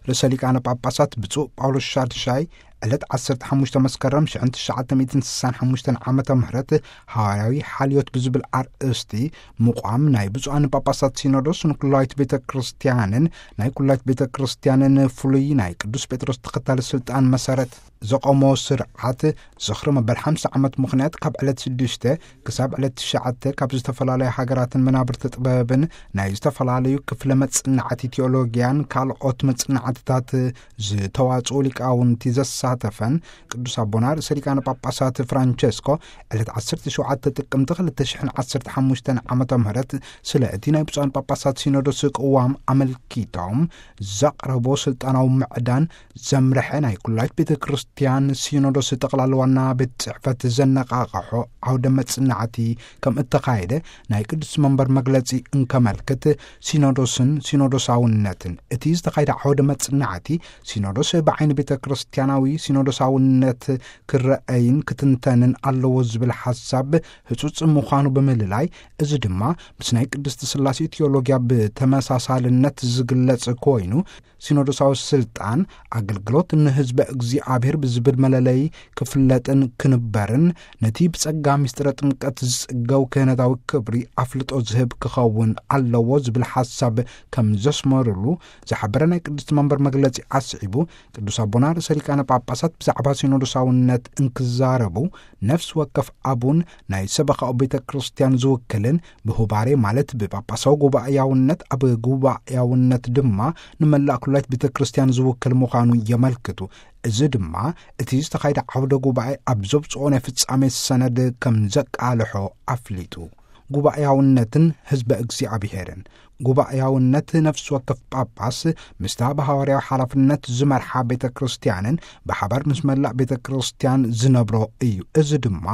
ርእሰ ሊቃነ ጳጳሳት ብፁዕ ጳውሎስ ሻድሻይ ዕለት ዓሰርተ ሓሙሽተ መስከረም ሽሕን ትሽዓተ ሚእትን ስሳን ሓሙሽተን ዓመተ ምህረት ሃዋርያዊ ሓልዮት ብዝብል ኣርእስቲ ምቋም ናይ ብፁዓን ጳጳሳት ሲኖዶስ ንኩላዊት ቤተ ክርስቲያንን ናይ ኩላዊት ቤተ ክርስቲያንን ፍሉይ ናይ ቅዱስ ጴጥሮስ ተኸታሊ ስልጣን መሰረት ዘቆሞ ስርዓት ዝኽሪ መበል ሓምሳ ዓመት ምኽንያት ካብ ዕለት ሽዱሽተ ክሳብ ዕለት ትሽዓተ ካብ ዝተፈላለዩ ሃገራትን መናብርቲ ጥበብን ናይ ዝተፈላለዩ ክፍለ መጽናዕቲ ቴዎሎጊያን ካልኦት መጽናዕትታት ዝተዋጽኡ ሊቃውንቲ ዘሳተፈን ቅዱስ ኣቦና ርእሰ ሊቃነ ጳጳሳት ፍራንቸስኮ ዕለት ዓሰርተ ሸውዓተ ጥቅምቲ ክልተ ሽሕን ዓሰርተ ሓሙሽተን ዓመተ ምህረት ስለ እቲ ናይ ብፁዓን ጳጳሳት ሲኖዶስ ቅዋም ኣመልኪቶም ዘቕረቦ ስልጣናዊ ምዕዳን ዘምርሐ ናይ ኩላይት ቤተ ክርስቲያን ሲኖዶስ ጠቕላላ ዋና ቤት ጽሕፈት ዘነቓቕሖ ዓውደ መጽናዕቲ ከም እተኻየደ ናይ ቅዱስ መንበር መግለጺ እንከመልክት፣ ሲኖዶስን ሲኖዶሳውነትን እቲ ዝተኻየደ ዓውደ መጽናዕቲ ሲኖዶስ ብዓይኒ ቤተ ክርስቲያናዊ ሲኖዶሳውነት ክረአይን ክትንተንን ኣለዎ ዝብል ሓሳብ ህጹጽ ምዃኑ ብምልላይ፣ እዚ ድማ ምስ ናይ ቅድስቲ ስላሴ ቴዎሎጊያ ብተመሳሳልነት ዝግለጽ ኮይኑ፣ ሲኖዶሳዊ ስልጣን ኣገልግሎት ንህዝበ እግዚኣብሔር ብዝብል መለለይ ክፍለጥን ክንበርን፣ ነቲ ብጸጋ ምስጢረ ጥምቀት ዝጽገው ክህነታዊ ክብሪ ኣፍልጦ ዝህብ ክኸውን ኣለዎ ዝብል ሓሳብ ከም ዘስመሩሉ ዝሓበረ ናይ ቅድስቲ መንበር መግለጺ ኣስዒቡ፣ ቅዱስ ኣቦና ርእሰ ሊቃነ ጳጳሳት ብዛዕባ ሲኖዶሳውነት እንክዛረቡ፣ ነፍሲ ወከፍ ኣቡን ናይ ሰበኻኡ ቤተ ክርስቲያን ዝውክልን ብሁባሬ ማለት ብጳጳሳዊ ጉባኤያውነት፣ ኣብ ጉባኤያውነት ድማ ንመላእ ኩላይት ቤተ ክርስቲያን ዝውክል ምዃኑ የመልክቱ። እዚ ድማ እቲ ዝተኻየደ ዓውደ ጉባኤ ኣብ ዘብጽኦ ናይ ፍጻሜ ሰነድ ከም ዘቃልሖ ኣፍሊጡ። ጉባኤያውነትን ህዝበ እግዚኣብሔርን። ጉባኤያውነት ነፍሲ ወከፍ ጳጳስ ምስታ ብሃዋርያዊ ሓላፍነት ዝመርሓ ቤተ ክርስቲያንን ብሓባር ምስ መላእ ቤተ ክርስቲያን ዝነብሮ እዩ። እዚ ድማ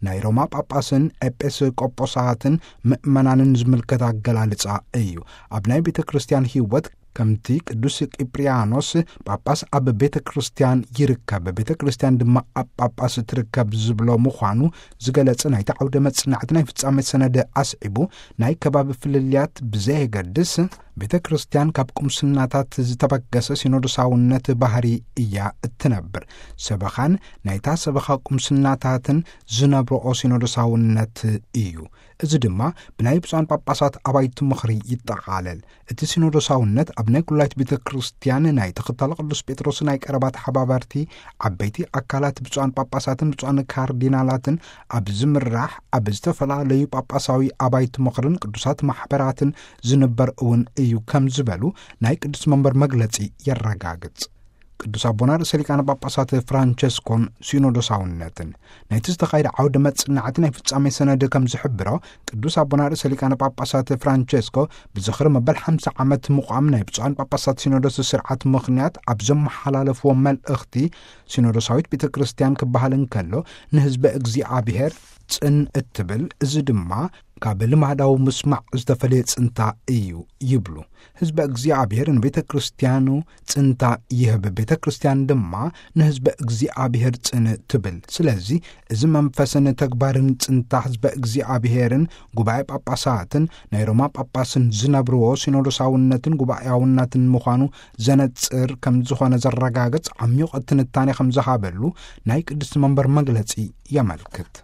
ናይ ሮማ ጳጳስን ኤጲስቆጶሳትን ምእመናንን ዝምልከት ኣገላልጻ እዩ። ኣብ ናይ ቤተ ክርስቲያን ህይወት ከምቲ ቅዱስ ቂፕርያኖስ ጳጳስ ኣብ ቤተ ክርስቲያን ይርከብ፣ ቤተ ክርስቲያን ድማ ኣብ ጳጳስ ትርከብ ዝብሎ ምዃኑ ዝገለጸ ናይቲ ዓውደ መጽናዕቲ ናይ ፍጻሜ ሰነድ ኣስዒቡ፣ ናይ ከባቢ ፍልልያት ብዘየገድስ፣ ቤተ ክርስቲያን ካብ ቁምስናታት ዝተበገሰ ሲኖዶሳውነት ባህሪ እያ እትነብር። ሰበኻን ናይታ ሰበኻ ቁምስናታትን ዝነብርኦ ሲኖዶሳውነት እዩ። እዚ ድማ ብናይ ብፁዓን ጳጳሳት ኣባይቲ ምኽሪ ይጠቓለል። እቲ ሲኖዶሳውነት ኣብ ናይ ኩላይት ቤተ ክርስቲያን ናይ ተኸታሊ ቅዱስ ጴጥሮስ ናይ ቀረባ ተሓባበርቲ ዓበይቲ ኣካላት ብፁዓን ጳጳሳትን ብፁዓን ካርዲናላትን ኣብ ዝምራሕ ኣብ ዝተፈላለዩ ጳጳሳዊ ኣባይቲ ምኽርን ቅዱሳት ማሕበራትን ዝንበር እውን እዩ ከም ዝበሉ ናይ ቅዱስ መንበር መግለጺ የረጋግጽ። ቅዱስ ኣቦና ርእሰ ሊቃነ ጳጳሳት ፍራንቸስኮን ሲኖዶሳውነትን። ናይቲ ዝተኻየደ ዓውደ መጽናዕቲ ናይ ፍጻሜ ሰነድ ከም ዝሕብሮ፣ ቅዱስ ኣቦና ርእሰ ሊቃነ ጳጳሳት ፍራንቸስኮ ብዝኽሪ መበል ሓምሳ ዓመት ምቋም ናይ ብፁዓን ጳጳሳት ሲኖዶስ ስርዓት ምኽንያት ኣብ ዘመሓላለፍዎ መልእኽቲ፣ ሲኖዶሳዊት ቤተ ክርስቲያን ክበሃል እንከሎ ንህዝበ እግዚኣብሔር ጽን እትብል፣ እዚ ድማ ካብ ልማዳዊ ምስማዕ ዝተፈልየ ጽንታ እዩ ይብሉ። ህዝበ እግዚኣብሔር ንቤተ ክርስቲያኑ ጽንታ ይህብ፣ ቤተ ክርስቲያን ድማ ንህዝበ እግዚኣብሔር ጽን ትብል። ስለዚ እዚ መንፈስን ተግባርን ጽንታ ህዝበ እግዚኣብሔርን ጉባኤ ጳጳሳትን ናይ ሮማ ጳጳስን ዝነብርዎ ሲኖዶሳውነትን ጉባኤያውነትን ምዃኑ ዘነጽር ከም ዝኾነ ዘረጋግጽ ዓሚቕ ትንታኔ ከም ዝሃበሉ ናይ ቅድስቲ መንበር መግለጺ የመልክት።